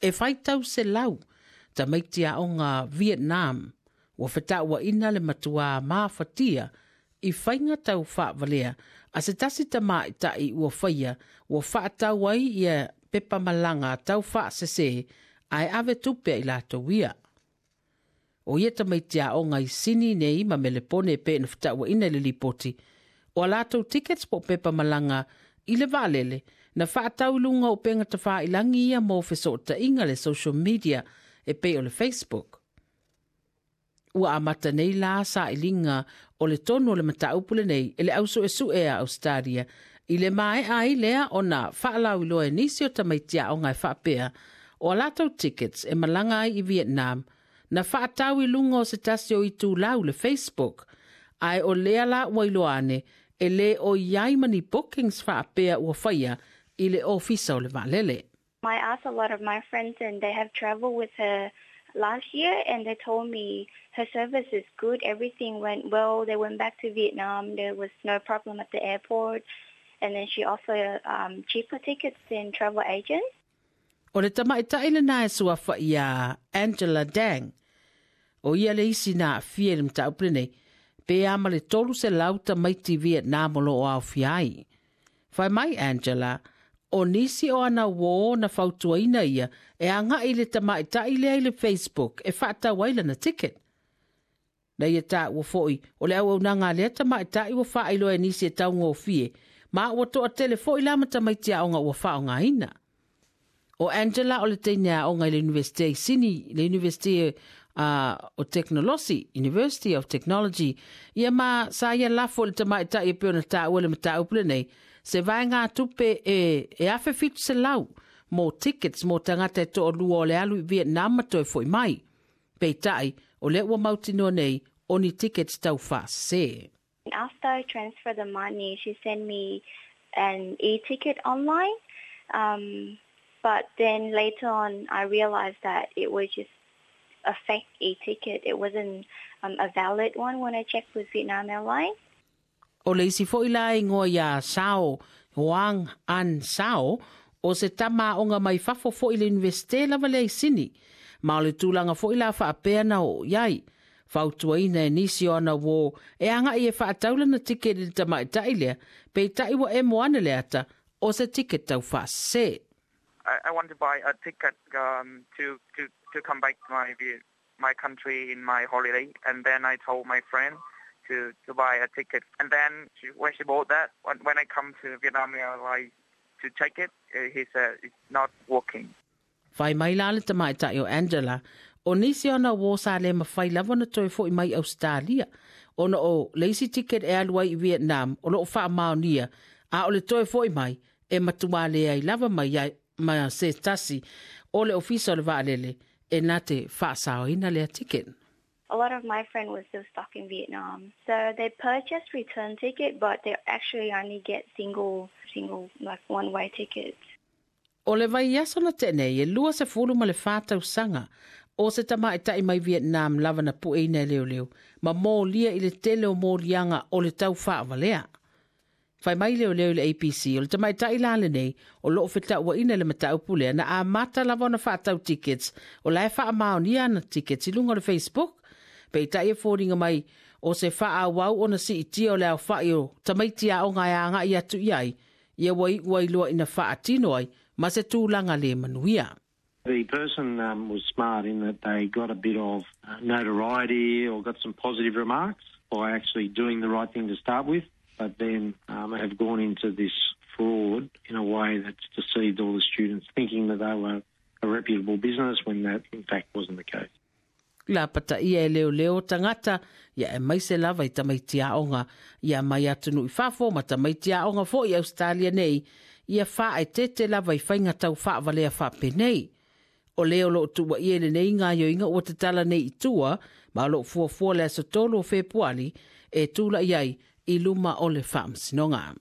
E 800 tamaiti aoga Vietnam ua fetauaina le matuā mafatia i faiga tau faavalea a se tasi tamaʻitaʻi ua faia ua faatau ai ia pepa malaga tau faasesē ae ave tupe ai latou ia. O ia tamaiti aoga i Sini nei ma Melepone e pei ona fetauaina i le lipoti, o a latou tickets po o pepa malaga i le vaalele na faatau i luga o upega tafailagi ia mo fesootaiga le social media e pei o le Facebook. Ua amata nei la sailiga o le tonu o le mataupu lenei e le au suesue a Australia i le maea ai lea ona faalauiloa e nisi o tamaiti aoga e faapea o a latou tickets e malaga ai i Vietnam na faatau i luga o se tasi o itulau le Facebook, ae o lea la ua iloa ane e lē o i ai ma ni bookings faapea ua faia i le ofisa o le vaalele. I asked a lot of my friends and they have traveled with her last year and they told me her service is good, everything went well. They went back to Vietnam, there was no problem at the airport, and then she offered cheaper tickets than travel agents. O le tamaʻitaʻi lenā e suafa iā Angela Dang. O ia le isi na aafia i le mataupu lenei, pe a ma le 300 tamaiti Vietnam o loo aofia ai. Fai mai Angela, o nisi o ana uō na fautuaina ia e agaʻi i le tamaʻitaʻi lea i le Facebook e faatau ai lana ticket. Na ia taua foi o le auaunaga a lea tamaʻitaʻi ua faailoa e nisi e taugofie, ma ua toatele foi la ma tamaiti aoga ua faaaogaina. O Angela o le teine aoga i le Universite i Sini, le Universite o Teknolosi, University of Technology, ia ma sa ia lafo i le tamaʻitaʻi e pei ona taua le mataupu lenei, se vaegatupe e 1700 mo tickets mo tagata e toalua o le alu i Vietnam ma toe foi mai. Peitai, o lea ua mautinoa nei o ni tickets tau faasesē. After I transferred the money, she sent me an e-ticket online. But then later on, I realized that it was just a fake e-ticket. It wasn't a valid one when I checked with Vietnam Airlines. O le isi foi la e igoa iā Sao Hoang An Sao, o se tama aoga mai fafo foi i le Iunivesite lava lea i Sini, ma o le tulaga foi la faapea na oo i ai. Fautuaina e nisi o ana uō e agaʻi e faatau lana ticket i le tamaʻitaʻi lea, peitai ua emo ane le ata o se ticket tau faasesē. I want to buy a ticket to come back to my country in my holiday, and then I told my friend to buy a ticket. And then when she bought that, when I come to Vietnam Airlines to check it, he said it's not working. Fai mai la le tamaʻitaʻi o Angela, o nisi ona uō sa le mafai lava ona toe foʻi mai Ausetalia, ona o le isi ticket e alu ai i Vietnam o loo faamaonia, a o le toe foʻi mai e matuā leai lava mai ai ma se tasi o le ofisa o le vaalele e na te faasaoina lea ticket. A lot of my friend was still stuck in Vietnam. So they purchased return ticket, but they actually only get single, single, like one-way tickets. O le vaiaso na tea nei, e 24 tausaga o se tamaʻitaʻi mai Vietnam lava na pueina e leoleo ma molia i le tele o moliaga o le tau faavalea. Fai mai leoleo i le ABC, o le tamaʻitaʻi la lenei o loo fetauaina i le mataupu lea na amata lava ona faatau tickets o la e faamaonia ana tickets i luga o le Facebook. Peitai e foliga mai o se faaauau ona siitia o le aofaʻi o tamaiti aoga e agaʻi atu i ai, ia ua iʻu ai loa ina faatino ai ma se tulaga le manuia. The person was smart in that they got a bit of notoriety or got some positive remarks by actually doing the right thing to start with, but then have gone into this fraud in a way that's deceived all the students, thinking that they were a reputable business when that in fact wasn't the case. Lapata ia e leoleo tagata ia aemaise lava i tamaiti aoga ia mai atunuu i fafo ma tamaiti aoga foi i Ausetalia nei ia faaeteete lava i faiga tau faavalea faapenei. O le o loo tuuaia i lenei gaoioiga ua tatala nei i tua ma o loo fuafua le aso 3 o Fepuali e tulai ai i luma o le Faamasinoga.